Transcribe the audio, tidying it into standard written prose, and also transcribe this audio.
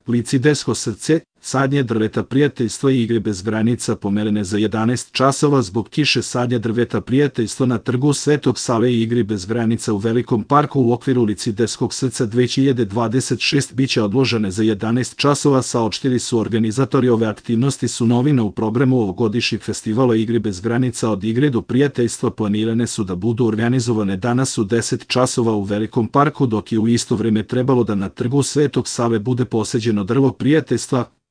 Licidesko srce, sadnje drveta prijateljstva i igre bez granica pomerene za 11 časova zbog kiše. Sadnje drveta prijateljstva na trgu Svetog Save i igri bez granica u Velikom parku u okviru Licideskog srca 2026 biće odložene za 11 časova, saopštili su organizatori. Ove aktivnosti su novina u programu ovogodišnjeg festivala igri bez granica. Od igre do prijateljstva planirane su da budu organizovane danas u 10 časova u Velikom parku, dok je u isto vreme trebalo da na trgu Svetog Save bude poseđeno drvo prijateljstva,